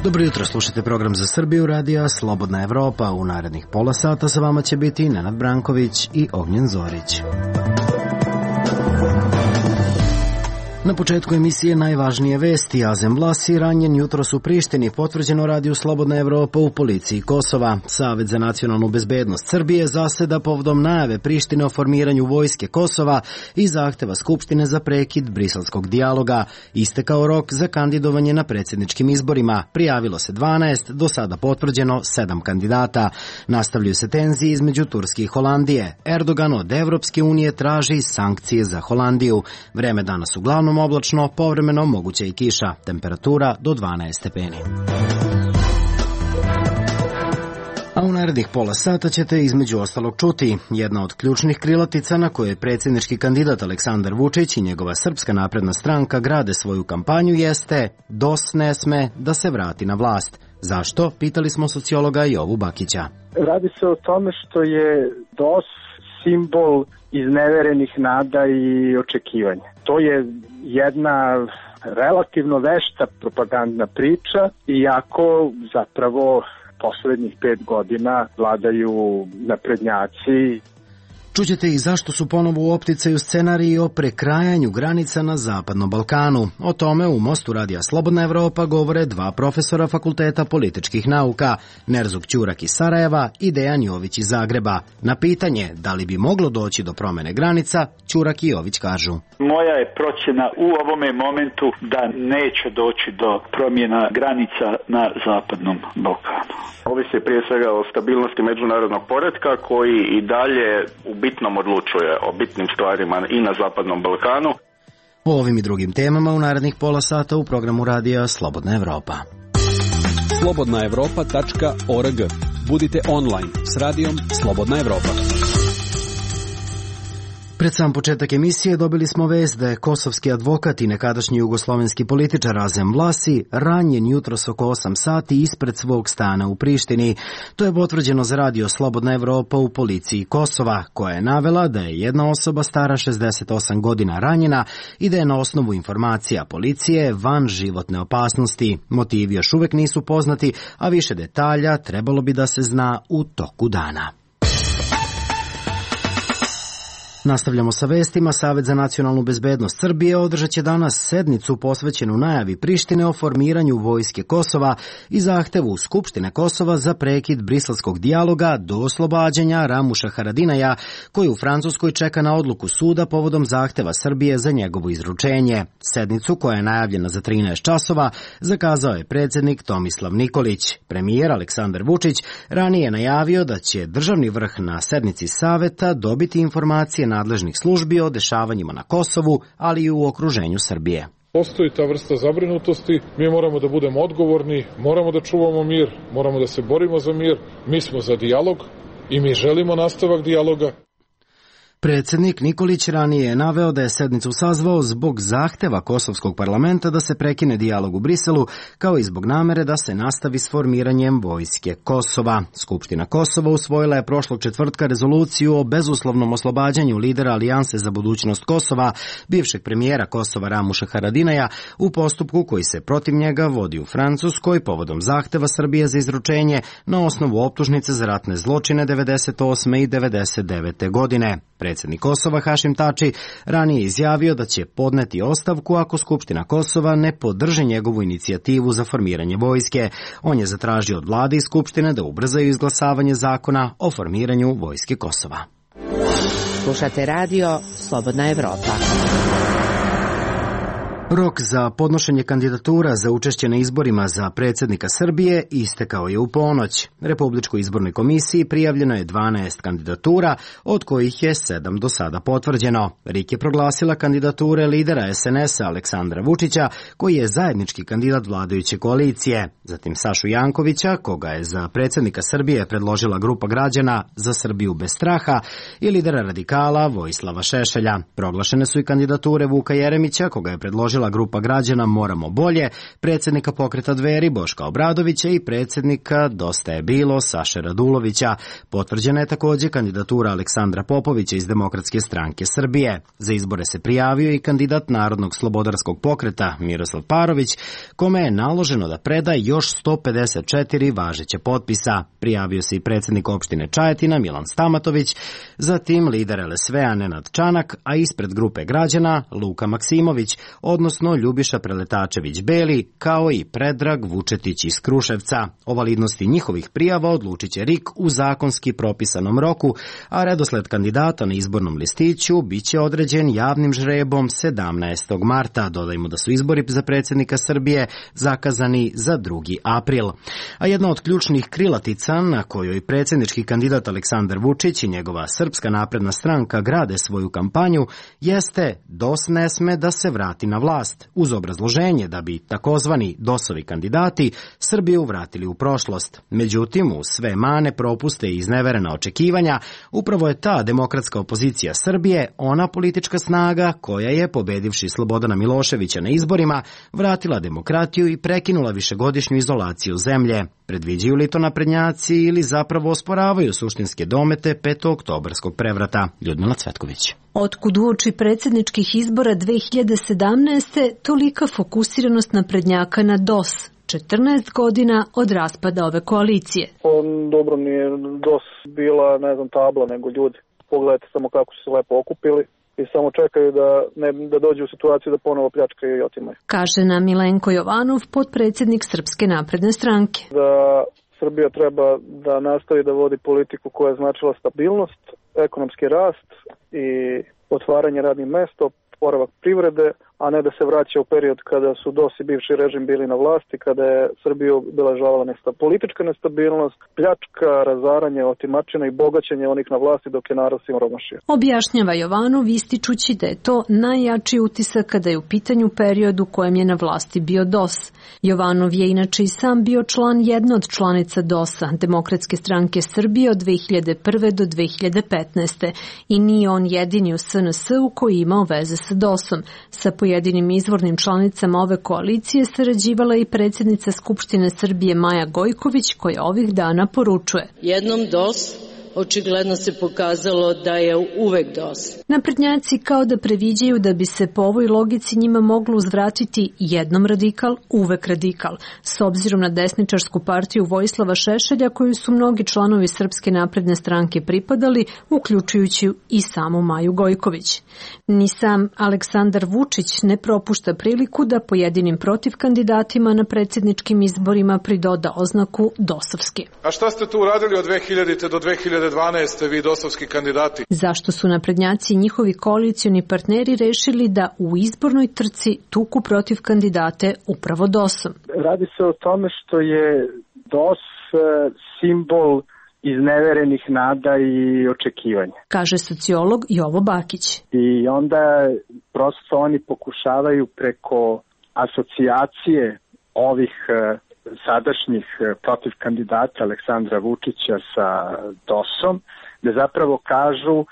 Dobro jutro, slušate program za Srbiju, radija Slobodna Evropa. U narednih pola sata sa vama će biti Nenad Branković i Ognjen Zorić. Na početku emisije najvažnije vesti. Azem Vlasi ranjen jutros u Prištini, potvrđeno radiju Slobodna Evropa u policiji Kosova. Savet za nacionalnu bezbednost Srbije zaseda povodom najave Prištine o formiranju vojske Kosova i zahteva Skupštine za prekid briselskog dijaloga. Istekao rok za kandidovanje na predsjedničkim izborima. Prijavilo se 12, do sada potvrđeno 7 kandidata. Nastavljaju se tenzije između Turske i Holandije. Erdogan od Evropske unije traži sankcije za Holandiju. Vreme danas uglavnom oblačno, povremeno moguća i kiša, temperatura do 12 stepeni. A u narednih pola sata ćete između ostalog čuti. Jedna od ključnih krilatica na koje predsjednički kandidat Aleksandar Vučić i njegova Srpska napredna stranka grade svoju kampanju jeste DOS ne sme da se vrati na vlast. Zašto? Pitali smo sociologa Jovu Bakića. Radi se o tome što je DOS simbol izneverenih nada i očekivanja. To je jedna relativno vešta propagandna priča, iako zapravo poslednjih 5 godina vladaju naprednjaci. Čućete i zašto su ponovo u opticaju scenariji o prekrajanju granica na Zapadnom Balkanu. O tome u Mostu radija Slobodna Evropa govore 2 profesora Fakulteta političkih nauka, Nerzuk Ćurak iz Sarajeva i Dejan Jović iz Zagreba. Na pitanje da li bi moglo doći do promene granica, Ćurak i Jović kažu: Moja je procjena u ovome momentu da neće doći do promjena granica na Zapadnom Balkanu. Ovisi prije svega o stabilnosti međunarodnog poretka koji i dalje u bitnom odlučuje o bitnim stvarima i na Zapadnom Balkanu. O ovim i drugim temama u narednih pola sata u programu radija Slobodna Evropa. slobodnaevropa.org. Budite online s radijom Slobodna Evropa. Pred sam početak emisije dobili smo vest da je kosovski advokat i nekadašnji jugoslovenski političar Azem Vlasi ranjen jutros oko 8 sati ispred svog stana u Prištini. To je potvrđeno za radio Slobodna Evropa u policiji Kosova, koja je navela da je jedna osoba stara 68 godina ranjena i da je na osnovu informacija policije van životne opasnosti. Motivi još uvek nisu poznati, a više detalja trebalo bi da se zna u toku dana. Nastavljamo sa vestima. Savet za nacionalnu bezbednost Srbije održat će danas sednicu posvećenu najavi Prištine o formiranju vojske Kosova i zahtevu Skupštine Kosova za prekid briselskog dijaloga do oslobađanja Ramuša Haradinaja, koji u Francuskoj čeka na odluku suda povodom zahteva Srbije za njegovo izručenje. Sednicu, koja je najavljena za 13 časova, zakazao je predsjednik Tomislav Nikolić. Premijer Aleksandar Vučić ranije je najavio da će državni vrh na sednici saveta dobiti informacije nadležnih službi o dešavanjima na Kosovu, ali i u okruženju Srbije. Postoji ta vrsta zabrinutosti, mi moramo da budemo odgovorni, moramo da čuvamo mir, moramo da se borimo za mir, mi smo za dijalog i mi želimo nastavak dijaloga. Predsjednik Nikolić ranije je naveo da je sednicu sazvao zbog zahteva kosovskog parlamenta da se prekine dijalog u Briselu, kao i zbog namere da se nastavi s formiranjem vojske Kosova. Skupština Kosova usvojila je prošlog četvrtka rezoluciju o bezuslovnom oslobađanju lidera Alijanse za budućnost Kosova, bivšeg premijera Kosova Ramuša Haradinaja, u postupku koji se protiv njega vodi u Francuskoj povodom zahteva Srbije za izručenje na osnovu optužnice za ratne zločine 98. i 99. godine. Predsjednik Kosova Hašim Tači ranije izjavio da će podneti ostavku ako Skupština Kosova ne podrži njegovu inicijativu za formiranje vojske. On je zatražio od vlade i Skupštine da ubrzaju izglasavanje zakona o formiranju vojske Kosova. Slušate radio Slobodna Evropa. Rok za podnošenje kandidatura za učešće na izborima za predsjednika Srbije istekao je u ponoć. Republičkoj izbornoj komisiji prijavljeno je 12 kandidatura, od kojih je 7 do sada potvrđeno. RIK je proglasila kandidature lidera SNS-a Aleksandra Vučića, koji je zajednički kandidat vladajuće koalicije. Zatim Sašu Jankovića, koga je za predsjednika Srbije predložila grupa građana Za Srbiju bez straha, i lidera radikala Vojislava Šešelja. Proglašene su i kandidature Vuka Jeremića, koga je predložila predložila grupa građana Moramo bolje, predsjednika pokreta Dveri Boška Obradovića i predsjednika Dosta je bilo Saše Radulovića. Potvrđena je također kandidatura Aleksandra Popovića iz Demokratske stranke Srbije. Za izbore se prijavio i kandidat Narodnog slobodarskog pokreta Miroslav Parović, kome je naloženo da preda još 154 važeće potpisa. Prijavio se i predsjednik opštine Čajetina Milan Stamatović, zatim lider LSV-a Nenad Čanak, a ispred grupe građana Luka Maksimović, odnosno Ljubiša Preletačević-Beli, kao i Predrag Vučetić iz Kruševca. O validnosti njihovih prijava odlučit će RIK u zakonski propisanom roku, a redosled kandidata na izbornom listiću biće određen javnim žrebom 17. marta. Dodajmo da su izbori za predsjednika Srbije zakazani za 2. april. A jedna od ključnih krilatica na kojoj predsjednički kandidat Aleksandar Vučić i njegova Srpska napredna stranka grade svoju kampanju jeste DOS ne sme da se vrati na vlast, uz obrazloženje da bi takozvani DOS-ovi kandidati Srbiju vratili u prošlost. Međutim, uz sve mane, propuste i izneverena očekivanja, upravo je ta demokratska opozicija Srbije ona politička snaga koja je, pobedivši Slobodana Miloševića na izborima, vratila demokratiju i prekinula višegodišnju izolaciju zemlje. Predviđaju li to naprednjaci ili zapravo osporavaju suštinske domete petooktobarskog prevrata? Ljudmila Cvetković. Otkud uoči predsjedničkih izbora 2017. tolika fokusiranost naprednjaka na DOS? 14 godina od raspada ove koalicije. Dobro nije DOS bila, tabla, nego ljudi. Pogledajte samo kako su se lepo okupili i samo čekaju da dođu u situaciju da ponovo pljačkaju i otimaju. Kaže nam Milenko Jovanov, potpredsjednik Srpske napredne stranke. Da Srbija treba da nastavi da vodi politiku koja je značila stabilnost, ekonomski rast i otvaranje radnih mesta, oporavak privrede, a ne da se vraća u period kada su DOS i bivši režim bili na vlasti, kada je Srbiju obeležavala politička nestabilnost, pljačka, razaranje, otimačina i bogaćenje onih na vlasti dok je narod siromašio. Objašnjava Jovanov, ističući da je to najjači utisak kada je u pitanju period u kojem je na vlasti bio DOS. Jovanov je inače i sam bio član jedne od članica DOS-a, Demokratske stranke Srbije od 2001. do 2015. I nije on jedini u SNS-u koji imao veze sa DOS-om. Sa pojedinim izvornim članicama ove koalicije sarađivala i predsjednica Skupštine Srbije Maja Gojković, koja ovih dana poručuje: jednom DOS, očigledno se pokazalo da je uvek DOS. Naprednjaci kao da previđaju da bi se po ovoj logici njima moglo uzvratiti jednom radikal, uvek radikal, s obzirom na desničarsku partiju Vojislava Šešelja koju su mnogi članovi Srpske napredne stranke pripadali, uključujući i samu Maju Gojković. Ni sam Aleksandar Vučić ne propušta priliku da pojedinim protiv kandidatima na predsjedničkim izborima pridoda oznaku dosovski. A šta ste tu uradili od 2000. do 2012. vi dosovski kandidati? Zašto su naprednjaci i njihovi koalicioni partneri rešili da u izbornoj trci tuku protiv kandidate upravo DOS-om? Radi se o tome što je DOS simbol izneverenih nada i očekivanja. Kaže sociolog Jovo Bakić. I onda prosto oni pokušavaju preko asocijacije ovih sadašnjih protiv kandidata Aleksandra Vučića sa DOS-om, da zapravo kažu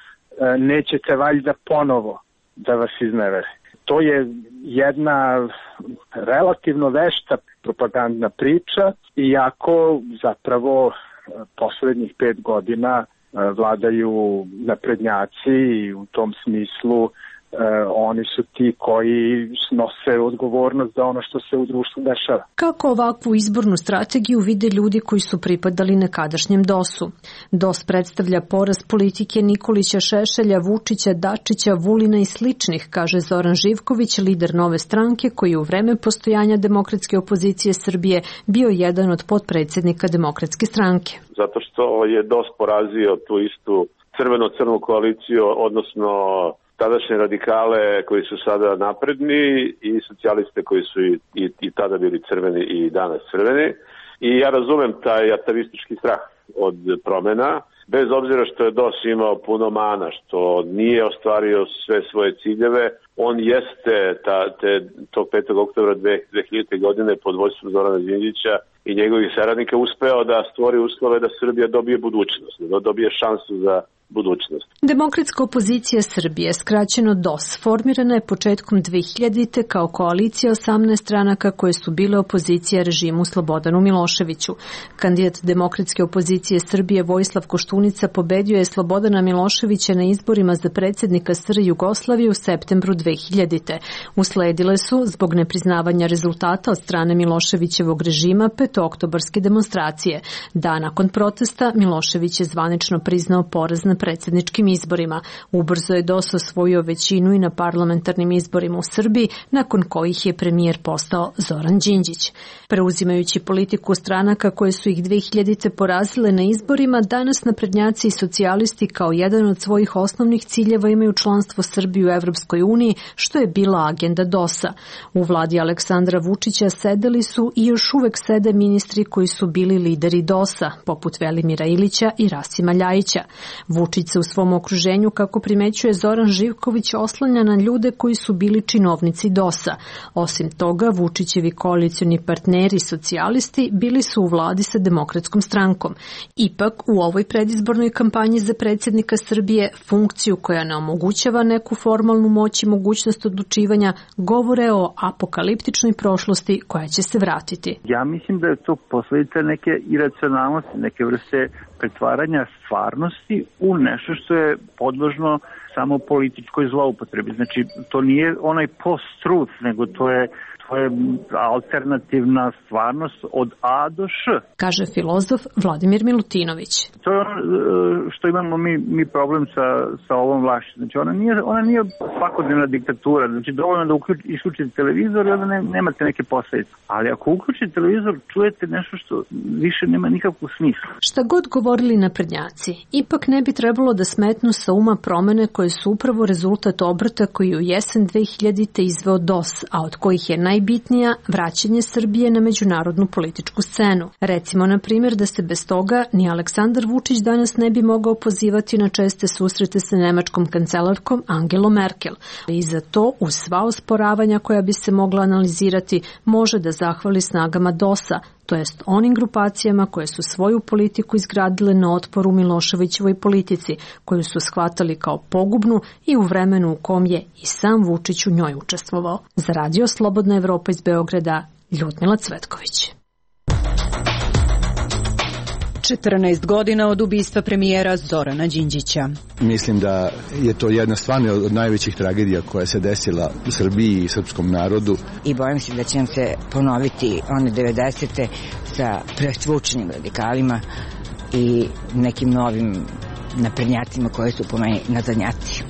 nećete valjda ponovo da vas iznevere. To je jedna relativno vešta propagandna priča, iako zapravo poslednjih 5 godina vladaju naprednjaci i u tom smislu oni su ti koji snose odgovornost za ono što se u društvu dešava. Kako ovakvu izbornu strategiju vide ljudi koji su pripadali nekadašnjem DOS-u? DOS predstavlja poraz politike Nikolića, Šešelja, Vučića, Dačića, Vulina i sličnih, kaže Zoran Živković, lider Nove stranke, koji u vreme postojanja demokratske opozicije Srbije bio jedan od potpredsjednika Demokratske stranke. Zato što je DOS porazio tu istu crveno-crnu koaliciju, odnosno tadašnje radikale koji su sada napredni i socijaliste koji su i tada bili crveni i danas crveni. I ja razumem taj atavistički strah od promjena, bez obzira što je DOS imao puno mana, što nije ostvario sve svoje ciljeve, On jeste tog 5. oktobra 2000. godine pod vodstvom Zorana Đinđića i njegovih saradnika uspeo da stvori uslove da Srbija dobije budućnost, da dobije šansu za budućnost. Demokratska opozicija Srbije, skraćeno DOS, formirana je početkom 2000. kao koalicija 18 stranaka koje su bile opozicija režimu Slobodanu Miloševiću. Kandidat Demokratske opozicije Srbije Vojislav Koštunica pobedio je Slobodana Miloševića na izborima za predsjednika SR Jugoslavije u septembru 2000. Usledile su, zbog nepriznavanja rezultata od strane Miloševićevog režima, petooktobarske demonstracije. Dan nakon protesta Milošević je zvanično priznao poraz na predsjedničkim izborima. Ubrzo je DOS osvojio većinu i na parlamentarnim izborima u Srbiji, nakon kojih je premijer postao Zoran Đinđić. Preuzimajući politiku stranaka koje su ih 2000. porazile na izborima, danas naprednjaci i socijalisti kao jedan od svojih osnovnih ciljeva imaju članstvo Srbije u Evropskoj uniji, što je bila agenda DOS-a. U vladi Aleksandra Vučića sedeli su i još uvek sede ministri koji su bili lideri DOS-a, poput Velimira Ilića i Rasima Ljajića. Vučić se u svom okruženju, kako primećuje Zoran Živković, oslanja na ljude koji su bili činovnici DOS-a. Osim toga, Vučićevi koalicioni partneri socijalisti bili su u vladi sa Demokratskom strankom. Ipak, u ovoj predizbornoj kampanji za predsjednika Srbije, funkciju koja ne omogućava neku formalnu moć i mogućnost odlučivanja, govore o apokaliptičnoj prošlosti koja će se vratiti. Ja mislim da je to posledica neke iracionalnosti, neke vrste pretvaranja stvarnosti u nešto što je podložno samo političkoj zloupotrebi. Znači, to nije onaj post-truth, nego to je alternativna stvarnost od A do Š. Kaže filozof Vladimir Milutinović. To je ono što imamo mi problem sa ovom vlašću. Znači, ona nije svakodnevna diktatura. Znači, dovoljno da isključite televizor i onda nemate neke posljedice. Ali ako uključite televizor, čujete nešto što više nema nikakvog smisla. Šta god govorili naprednjaci, ipak ne bi trebalo da smetnu sa uma promene koje su upravo rezultat obrata koji u jesen 2000. izveo DOS, a od kojih je najbitnija vraćanje Srbije na međunarodnu političku scenu. Recimo, na primjer, da se bez toga ni Aleksandar Vučić danas ne bi mogao pozivati na česte susrete sa nemačkom kancelarkom Angelom Merkel. I za to, uz sva osporavanja koja bi se mogla analizirati, može da zahvali snagama DOS-a, to jest onim grupacijama koje su svoju politiku izgradile na otporu Miloševićevoj politici, koju su shvatali kao pogubnu i u vremenu u kom je i sam Vučić u njoj učestvovao. Za Radio Slobodna Evropa iz Beograda, Ljudmila Cvetković. 14 godina od ubistva premijera Zorana Đinđića. Mislim da je to jedna stvarno od najvećih tragedija koja se desila u Srbiji i srpskom narodu. I bojim se da će nam se ponoviti one 90. sa presvučenim radikalima i nekim novim naprednjacima koji su po meni nazadnjaci.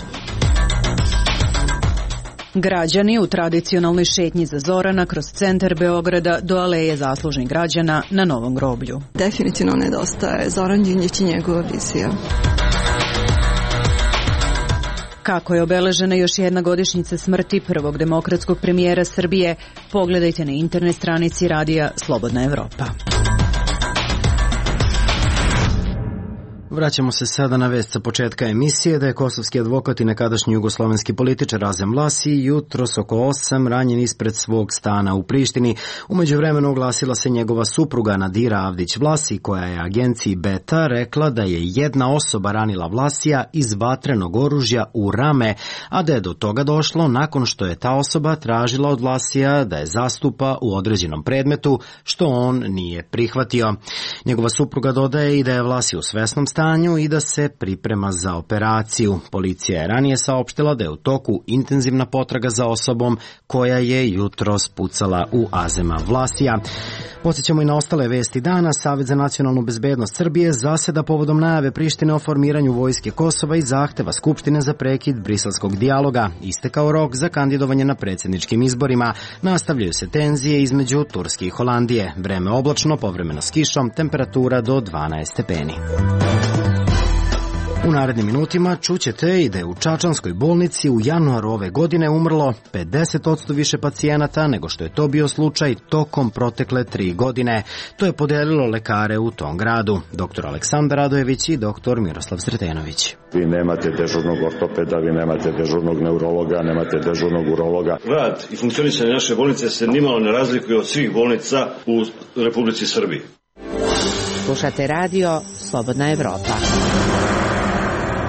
Građani u tradicionalnoj šetnji za Zorana kroz centar Beograda do aleje zaslužnih građana na Novom groblju. Definitivno nedostaje Zoran Đinđić i njegova vizija. Kako je obeležena još jedna godišnjica smrti prvog demokratskog premijera Srbije, pogledajte na internet stranici Radija Slobodna Evropa. Vraćamo se sada na vest sa početka emisije da je kosovski advokat i nekadašnji jugoslovenski političar Razem Vlasi jutros oko 8 ranjen ispred svog stana u Prištini. U međuvremenu oglasila se njegova supruga Nadira Avdić Vlasi, koja je agenciji Beta rekla da je jedna osoba ranila Vlasija iz vatrenog oružja u rame, a da je do toga došlo nakon što je ta osoba tražila od Vlasija da je zastupa u određenom predmetu, što on nije prihvatio. Njegova supruga dodaje i da je Vlasi u svesnom stanju i da se priprema za operaciju. Policija je ranije saopštila da je u toku intenzivna potraga za osobom koja je jutros pucala u Azema Vlasija. Podsjećamo i na ostale vesti dana. Savet za nacionalnu bezbednost Srbije zaseda povodom najave Prištine o formiranju vojske Kosova i zahteva Skupštine za prekid briselskog dijaloga. Istekao rok za kandidovanje na predsjedničkim izborima. Nastavljaju se tenzije između Turske i Holandije. Vreme oblačno, povremeno s kišom, temperatura do 12 stepeni. U narednim minutima čućete i da je u Čačanskoj bolnici u januaru ove godine umrlo 50% više pacijenata nego što je to bio slučaj tokom protekle 3 godine. To je podelilo lekare u tom gradu, dr. Aleksandar Radojević i dr. Miroslav Sretenović. Vi nemate dežurnog ortopeda, vi nemate dežurnog neurologa, nemate dežurnog urologa. Rad i funkcionisanje naše bolnice se nimalo ne razlikuje od svih bolnica u Republici Srbiji. Slušate radio Slobodna Evropa.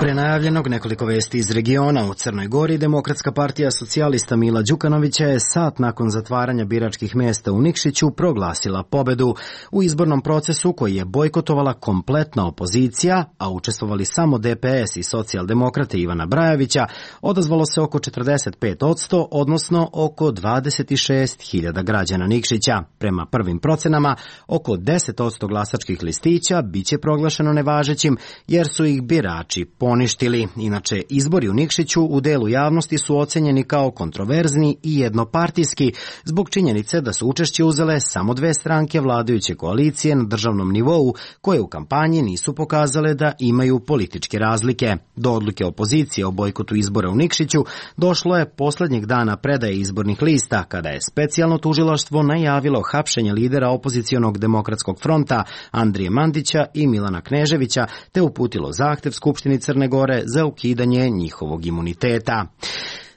Pre najavljenog nekoliko vesti iz regiona. U Crnoj Gori Demokratska partija socijalista Mila Đukanovića je sat nakon zatvaranja biračkih mesta u Nikšiću proglasila pobedu u izbornom procesu koji je bojkotovala kompletna opozicija, a učestvovali samo DPS i socijaldemokrate Ivana Brajovića. Odazvalo se oko 45%, odnosno oko 26.000 građana Nikšića. Prema prvim procenama, oko 10% glasačkih listića biće proglašeno nevažećim jer su ih birači poništili. Inače, izbori u Nikšiću u delu javnosti su ocenjeni kao kontroverzni i jednopartijski zbog činjenice da su učešće uzele samo 2 stranke vladajuće koalicije na državnom nivou koje u kampanji nisu pokazale da imaju političke razlike. Do odluke opozicije o bojkotu izbora u Nikšiću došlo je poslednjeg dana predaje izbornih lista kada je specijalno tužilaštvo najavilo hapšenje lidera opozicionog Demokratskog fronta Andrije Mandića i Milana Kneževića te uputilo zahtev Skupštini Crne Gore za ukidanje njihovog imuniteta.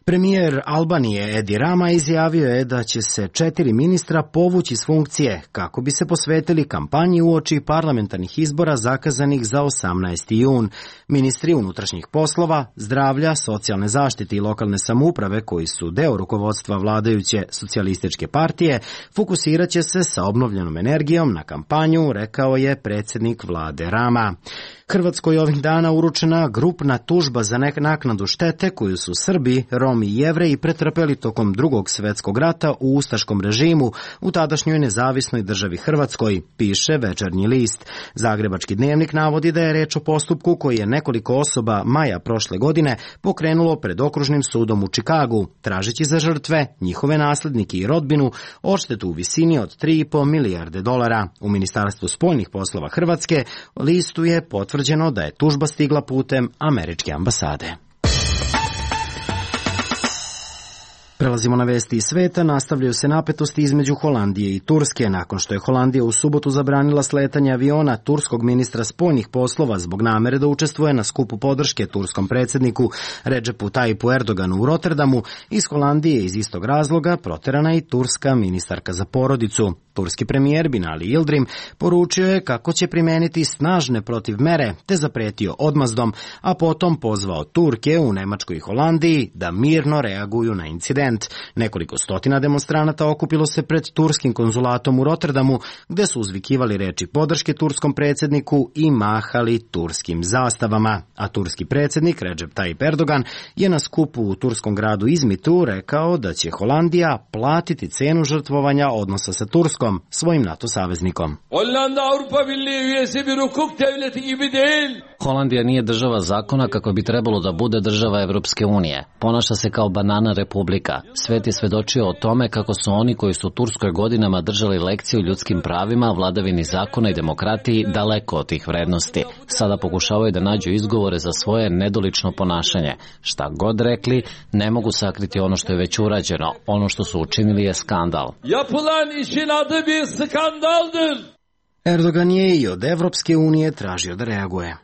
Premijer Albanije Edi Rama izjavio je da će se 4 ministra povući s funkcije kako bi se posvetili kampanji uoči parlamentarnih izbora zakazanih za 18. jun. Ministri unutrašnjih poslova, zdravlja, socijalne zaštite i lokalne samouprave koji su deo rukovodstva vladajuće socijalističke partije fokusirat će se sa obnovljenom energijom na kampanju, rekao je predsjednik vlade Rama. Hrvatskoj ovih dana uručena grupna tužba za naknadu štete koju su Srbi, Romi i Jevreji pretrpeli tokom Drugog svjetskog rata u ustaškom režimu u tadašnjoj nezavisnoj državi Hrvatskoj, piše Večernji list. Zagrebački dnevnik navodi da je reč o postupku koji je nekoliko osoba maja prošle godine pokrenulo pred okružnim sudom u Čikagu, tražeći za žrtve, njihove naslednike i rodbinu odštetu u visini od 3,5 milijarde dolara. U Ministarstvu spoljnih poslova Hrvatske listu je potvrđeno da je tužba stigla putem američke ambasade. Prelazimo na vesti iz sveta. Nastavljaju se napetosti između Holandije i Turske. Nakon što je Holandija u subotu zabranila sletanje aviona turskog ministra spoljnih poslova zbog namere da učestvuje na skupu podrške turskom predsjedniku Redžepu Tajipu Erdoganu u Rotterdamu, iz Holandije iz istog razloga proterana i turska ministarka za porodicu. Turski premijer Binali Yildirim poručio je kako će primeniti snažne protivmere te zapretio odmazdom, a potom pozvao Turke u Nemačkoj i Holandiji da mirno reaguju na incident. Nekoliko stotina demonstranata okupilo se pred turskim konzulatom u Rotterdamu gde su uzvikivali reči podrške turskom predsjedniku i mahali turskim zastavama. A turski predsjednik Recep Tayyip Erdogan je na skupu u turskom gradu Izmitu rekao da će Holandija platiti cenu žrtvovanja odnosa sa Turskom, svojim NATO saveznikom. Holandija nije država zakona kako bi trebalo da bude država Evropske unije. Ponaša se kao banana republika. Svet je svedočio o tome kako su oni koji su Turskoj godinama držali lekcije o ljudskim pravima, vladavini zakona i demokratiji daleko od tih vrednosti. Sada pokušavaju da nađu izgovore za svoje nedolično ponašanje. Šta god rekli, ne mogu sakriti ono što je već urađeno. Ono što su učinili je skandal. Erdogan je i od Evropske unije tražio da reaguje.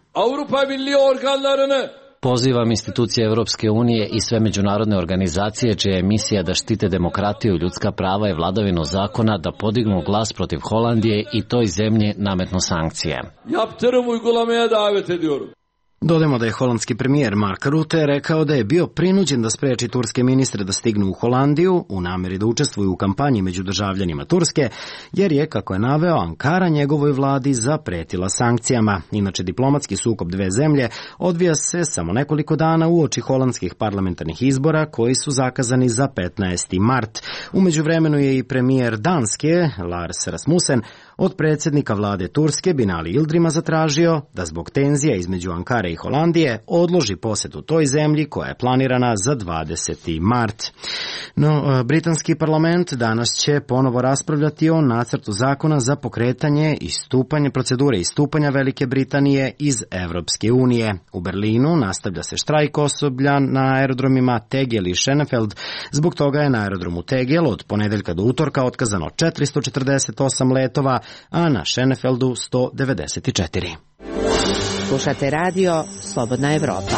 Pozivam institucije Evropske unije i sve međunarodne organizacije čija je misija da štite demokratiju, ljudska prava i vladavinu zakona da podignu glas protiv Holandije i toj zemlji nametnu sankcije. Dodajmo da je holandski premijer Mark Rutte rekao da je bio prinuđen da spreči turske ministre da stignu u Holandiju u nameri da učestvuju u kampanji među državljanima Turske, jer je, kako je naveo, Ankara njegovoj vladi zapretila sankcijama. Inače, diplomatski sukob dve zemlje odvija se samo nekoliko dana uoči holandskih parlamentarnih izbora koji su zakazani za 15. mart. U međuvremenu je i premijer Danske, Lars Rasmussen, od predsjednika vlade Turske Binali Yildirima zatražio da zbog tenzija između Ankare i Holandije odloži posetu toj zemlji koja je planirana za 20. mart. No, britanski parlament danas će ponovo raspravljati o nacrtu zakona za pokretanje procedure istupanja Velike Britanije iz Evropske unije. U Berlinu nastavlja se štrajk osoblja na aerodromima Tegel i Schönefeld. Zbog toga je na aerodromu Tegel od ponedeljka do utorka otkazano 448 letova, a na Schönefeldu 194. Slušate radio Slobodna Evropa.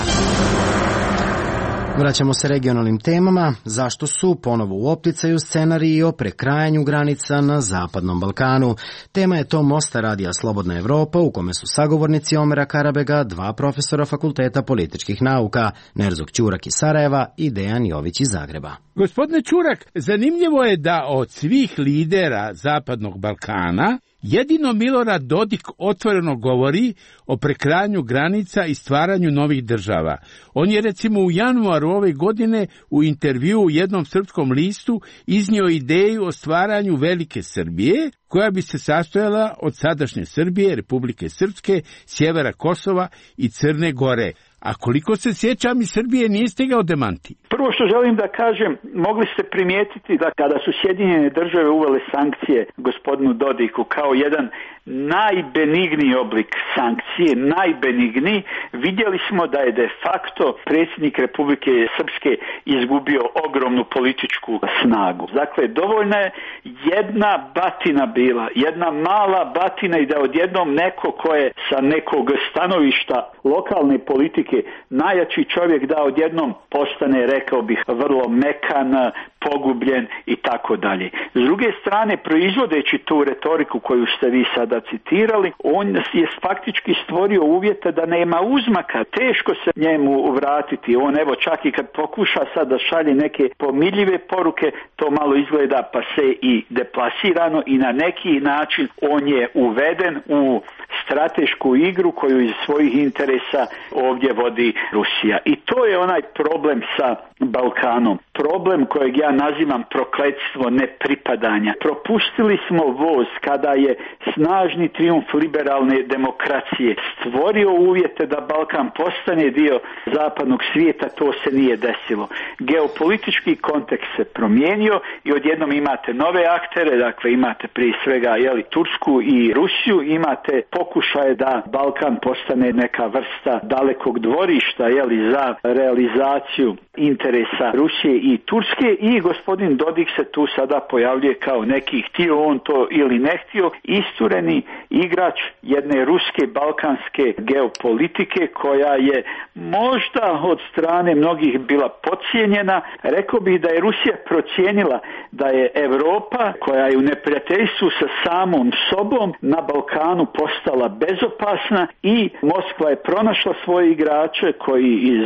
Vraćamo se regionalnim temama. Zašto su ponovo u opticaju scenariji o prekrajanju granica na Zapadnom Balkanu? Tema je to Mosta radija Slobodna Evropa, u kome su sagovornici Omera Karabega, dva profesora Fakulteta političkih nauka, Nerzog Ćurak iz Sarajeva i Dejan Jović iz Zagreba. Gospodine Ćurak, zanimljivo je da od svih lidera Zapadnog Balkana jedino Milorad Dodik otvoreno govori o prekrajanju granica i stvaranju novih država. On je recimo u januaru ove godine u intervjuu u jednom srpskom listu iznio ideju o stvaranju Velike Srbije, koja bi se sastojala od sadašnje Srbije, Republike Srpske, sjevera Kosova i Crne Gore. A koliko se sjećam, iz Srbije nije stigao demanti. Prvo što želim da kažem, mogli ste primijetiti da kada su Sjedinjene Države uvele sankcije gospodinu Dodiku kao jedan najbenigniji oblik sankcije, najbenigniji, vidjeli smo da je de facto predsjednik Republike Srpske izgubio ogromnu političku snagu. Dakle, dovoljna je jedna batina bila, jedna mala batina i da odjednom neko ko je sa nekog stanovišta lokalne politike najjači čovjek da odjednom postane, rekao bih, vrlo mekan, pogubljen i tako dalje. S druge strane, proizvodeći tu retoriku koju ste vi sada citirali, on je faktički stvorio uvjete da nema uzmaka, teško se njemu vratiti. On evo čak i kad pokuša sad da šalje neke pomiljive poruke, to malo izgleda pa se i deplasirano i na neki način on je uveden u stratešku igru koju iz svojih interesa ovdje vodi Rusija. I to je onaj problem sa Balkanom. Problem kojeg ja nazivam prokletstvo nepripadanja. Propustili smo voz kada je snažni trijumf liberalne demokracije stvorio uvjete da Balkan postane dio zapadnog svijeta, to se nije desilo. Geopolitički kontekst se promijenio i odjednom imate nove aktere, dakle imate prije svega Tursku i Rusiju, imate pokušaje da Balkan postane neka vrsta dalekog dvorišta za realizaciju interesa Rusije i Turske i gospodin Dodik se tu sada pojavljuje kao neki, htio on to ili ne htio, istureni igrač jedne ruske balkanske geopolitike koja je možda od strane mnogih bila podcijenjena. Rekao bih da je Rusija procijenila da je Europa, koja je u neprijateljstvu sa samom sobom, na Balkanu postala bezopasna i Moskva je pronašla svoje igrače koji iz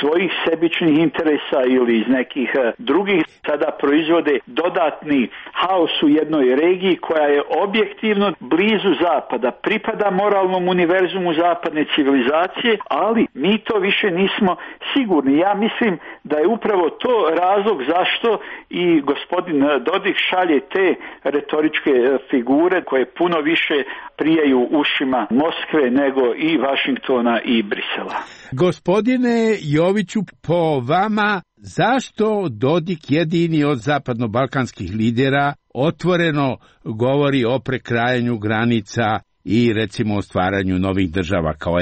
svojih sebičnih interesa ili iz nekih drugih sada proizvode dodatni haos u jednoj regiji koja je objektivno blizu zapada, pripada moralnom univerzumu zapadne civilizacije, ali mi to više nismo sigurni. Ja mislim da je upravo to razlog zašto i gospodin Dodik šalje te retoričke figure koje puno više prijaju ušima Moskve nego i Vašingtona i Brisela. Gospodine Joviću, po vama, zašto Dodik jedini od zapadno-balkanskih lidera otvoreno govori o prekrajanju granica i recimo o stvaranju novih država, kao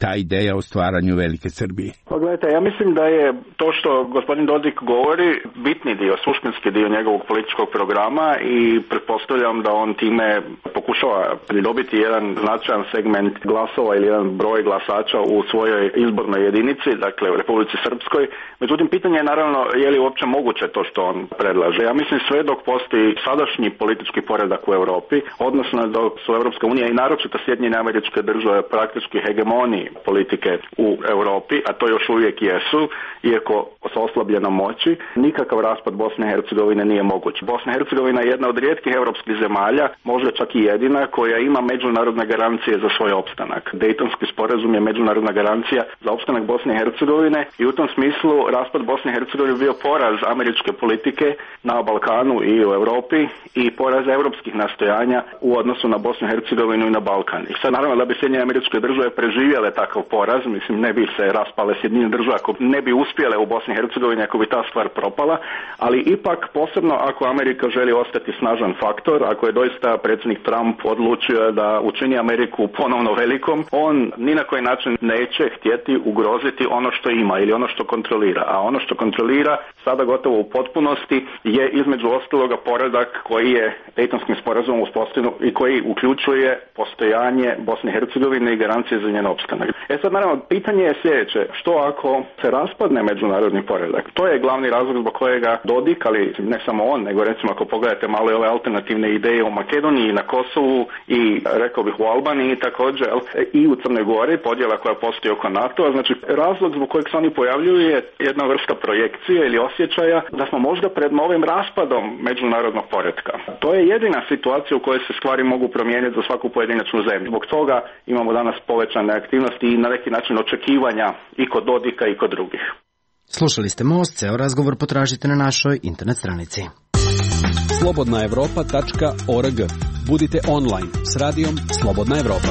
ta ideja o stvaranju Velike Srbije? Pa gledajte, ja mislim da je to što gospodin Dodik govori bitni dio, suštinski dio njegovog političkog programa i pretpostavljam da on time pokušava pridobiti jedan značajan segment glasova ili jedan broj glasača u svojoj izbornoj jedinici, dakle u Republici Srpskoj. Međutim, pitanje je naravno je li uopće moguće to što on predlaže. Ja mislim sve dok postoji sadašnji politički poredak u Europi, odnosno dok su Europska unija i naročito Sjedinjene Američke Države praktički hegemoniji politike u Europi, a to još uvijek jesu, iako sa oslabljenom moći, nikakav raspad Bosne i Hercegovine nije moguć. Bosna i Hercegovina je jedna od rijetkih europskih zemalja, možda čak i jedina, Kraljevina koja ima međunarodne garancije za svoj opstanak. Dejtonski sporazum je međunarodna garancija za opstanak Bosne i Hercegovine i u tom smislu raspad Bosne i Hercegovine bio poraz američke politike na Balkanu i u Europi i poraz europskih nastojanja u odnosu na Bosnu i Hercegovinu i na Balkan. I sad naravno da bi Sjedinjene Američke Države preživjele takav poraz, mislim ne bi se raspale Sjedinjene Države ako ne bi uspjele u Bosni i Hercegovini, ako bi ta stvar propala, ali ipak posebno ako Amerika želi ostati snažan faktor, ako je doista predsjednik Trump odlučio da učini Ameriku ponovno velikom, on ni na koji način neće htjeti ugroziti ono što ima ili ono što kontrolira, a ono što kontrolira sada gotovo u potpunosti je između ostaloga poredak koji je Dejtonskim sporazumom uspostavljen i koji uključuje postojanje Bosne i Hercegovine i garancije za njen opstanak. Sad naravno pitanje je sljedeće, što ako se raspadne međunarodni poredak? To je glavni razlog zbog kojega Dodik, ali ne samo on, nego recimo ako pogledate malo i ove alternativne ideje u Makedoniji, na Kosovu i rekao bih u Albaniji također i u Crnoj Gori, podjela koja postoji oko NATO-a, znači razlog zbog kojeg se oni pojavljuju je jedna vrsta projekcije ili osjećaja da smo možda pred novim raspadom međunarodnog poretka. To je jedina situacija u kojoj se stvari mogu promijeniti za svaku pojedinačnu zemlju. Zbog toga imamo danas povećane aktivnosti i na neki način očekivanja i kod Dodika i kod drugih. Slušali ste Most, ceo razgovor potražite na našoj internet stranici. slobodnaevropa.org. Budite online s radijom Slobodna Evropa.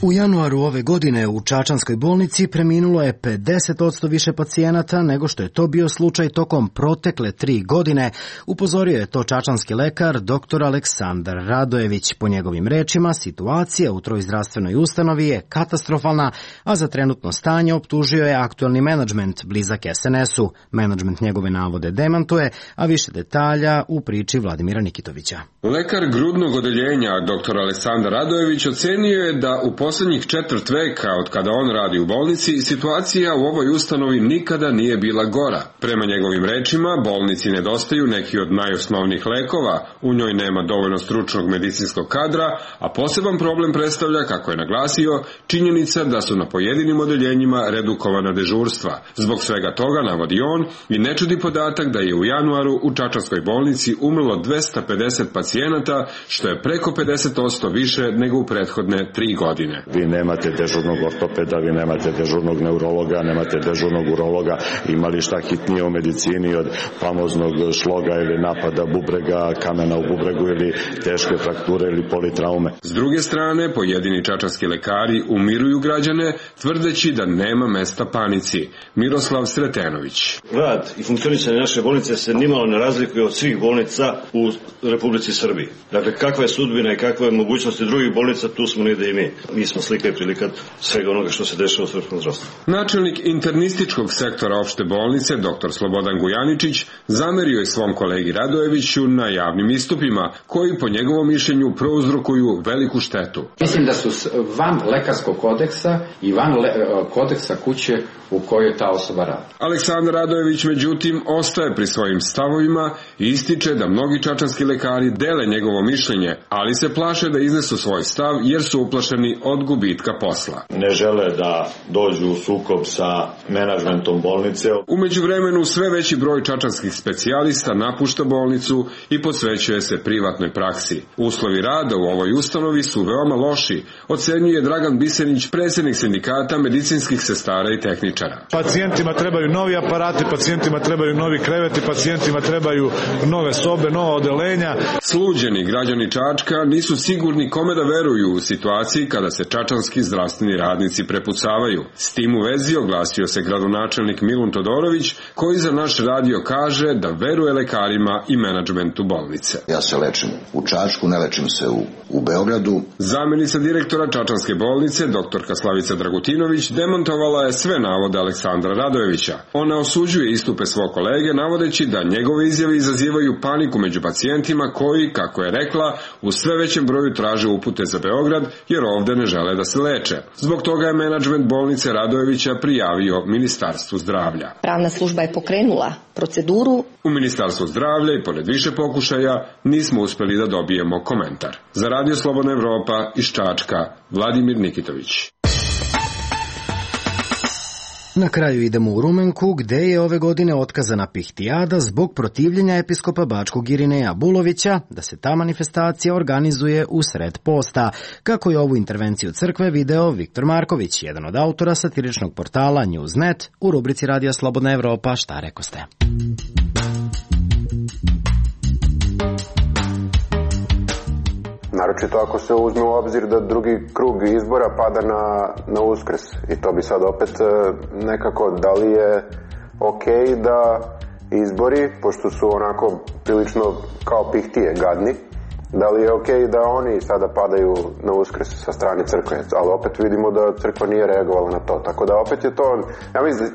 U januaru ove godine u Čačanskoj bolnici preminulo je 50% više pacijenata nego što je to bio slučaj tokom protekle 3 godine, upozorio je to čačanski lekar dr. Aleksandar Radojević. Po njegovim rečima, situacija u toj zdravstvenoj ustanovi je katastrofalna, a za trenutno stanje optužio je aktuelni menadžment blizak SNS-u. Menadžment njegove navode demantuje, a više detalja u priči Vladimira Nikitovića. Lekar grudnog odeljenja dr. Aleksandar Radojević ocenio je da u poslednjih 4 veka od kada on radi u bolnici, situacija u ovoj ustanovi nikada nije bila gora. Prema njegovim rečima, bolnici nedostaju neki od najosnovnijih lekova, u njoj nema dovoljno stručnog medicinskog kadra, a poseban problem predstavlja, kako je naglasio, činjenica da su na pojedinim odeljenjima redukovana dežurstva. Zbog svega toga, navodi on, i ne čudi podatak da je u januaru u Čačanskoj bolnici umrlo 250 pacijenata, što je preko 50% više nego u prethodne 3 godine. Vi nemate dežurnog ortopeda, vi nemate dežurnog neurologa, nemate dežurnog urologa, imali šta hitnije u medicini od famoznog šloga ili napada bubrega, kamena u bubregu ili teške frakture ili politraume. S druge strane, pojedini čačanski lekari umiruju građane, tvrdeći da nema mesta panici. Miroslav Sretenović. Rad i funkcionisanje naše bolnice se nimalo ne razlikuje od svih bolnica u Republici Srbiji. Dakle, kakva je sudbina i kakva je mogućnosti drugih bolnica, tu smo negde i mi. Mi smo slika i prilika svega onoga što se dešava u srpskom zdravstvu. Načelnik internističkog sektora opšte bolnice, dr. Slobodan Gujaničić, zamerio je svom kolegi Radojeviću na javnim istupima, koji po njegovom mišljenju prouzrokuju veliku štetu. Mislim da su van lekarskog kodeksa i van kodeksa kuće u kojoj ta osoba radi. Aleksandar Radojević, međutim, ostaje pri svojim stavovima i ističe da mnogi čačanski lekari dele njegovo mišljenje, ali se plaše da iznesu svoj stav jer su uplašeni od gubitka posla. Ne žele da dođu u sukob sa menadžmentom bolnice. U međuvremenu sve veći broj čačanskih specijalista napušta bolnicu i posvećuje se privatnoj praksi. Uslovi rada u ovoj ustanovi su veoma loši, ocenjuje Dragan Bisenić, predsjednik sindikata medicinskih sestara i tehničara. Pacijentima trebaju novi aparati, pacijentima trebaju novi kreveti, pacijentima trebaju nove sobe, nova odeljenja. Sluđeni građani Čačka nisu sigurni kome da veruju u situaciji kada se čačanski zdravstveni radnici prepucavaju. S tim u vezi oglasio se gradonačelnik Milun Todorović, koji za naš radio kaže da veruje lekarima i menadžmentu bolnice. Ja se lečim u Čačku, ne lečim se u Beogradu. Zamenica direktora Čačanske bolnice, doktorka Slavica Dragutinović, demontovala je sve navode Aleksandra Radojevića. Ona osuđuje istupe svog kolege, navodeći da njegove izjave izazivaju paniku među pacijentima koji, kako je rekla, u sve većem broju traže upute za Beograd jer ovde ne žele da se leče. Zbog toga je menadžment bolnice Radojevića prijavio Ministarstvu zdravlja. Pravna služba je pokrenula proceduru. U Ministarstvu zdravlja i pored više pokušaja nismo uspeli da dobijemo komentar. Za Radio Slobodna Evropa iz Čačka, Vladimir Nikitović. Na kraju idemo u Rumenku, gde je ove godine otkazana pihtijada zbog protivljenja episkopa Bačkog Irineja Bulovića da se ta manifestacija organizuje u sred posta. Kako je ovu intervenciju crkve video Viktor Marković, jedan od autora satiričnog portala Newsnet, u rubrici Radija Slobodna Evropa Šta rekoste? Naročito ako se uzme u obzir da drugi krug izbora pada na Uskrs. I to bi sad opet nekako, da li je okej da izbori, pošto su onako prilično kao pihtije gadni, da li je okej da oni sada padaju na Uskrs sa strane crkve, ali opet vidimo da crkva nije reagovala na to. Tako da opet je to,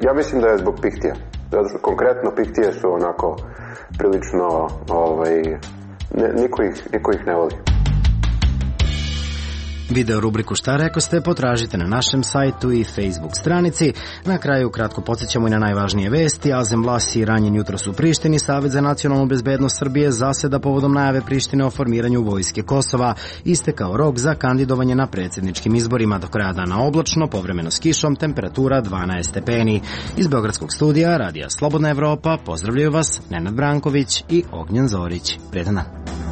ja mislim da je zbog pihtija. Konkretno pihtije su onako prilično, niko ih ne voli. Video rubriku Šta rekoste potražite na našem sajtu i Facebook stranici. Na kraju kratko podsjećamo i na najvažnije vesti. Azem Vlasi ranjen jutros u Prištini. Savet za nacionalnu bezbednost Srbije zaseda povodom najave Prištine o formiranju vojske Kosova. Istekao rok za kandidovanje na predsjedničkim izborima. Do kraja dana oblačno, povremeno s kišom, temperatura 12 stepeni. Iz Beogradskog studija Radija Slobodna Evropa pozdravljaju vas Nenad Branković i Ognjen Zorić. Prijetan dan.